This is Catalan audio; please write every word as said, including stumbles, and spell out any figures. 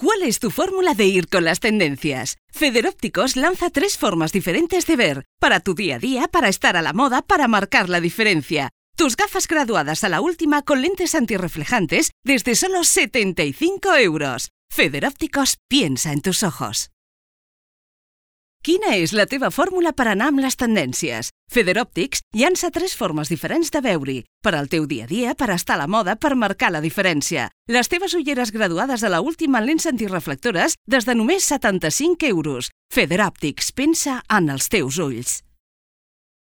¿Cuál es tu fórmula de ir con las tendencias? Federópticos lanza tres formas diferentes de ver, para tu día a día, para estar a la moda, para marcar la diferencia. Tus gafas graduadas a la última con lentes antirreflejantes desde solo setenta y cinco euros. Federópticos piensa en tus ojos. Quina és la teva fórmula per anar amb les tendències? Federòptics llança tres formes diferents de veure-hi, per al teu dia a dia, per estar a la moda, per marcar la diferència. Les teves ulleres graduades a la última en lents antireflectores des de només setanta-cinc euros. Federòptics pensa en els teus ulls.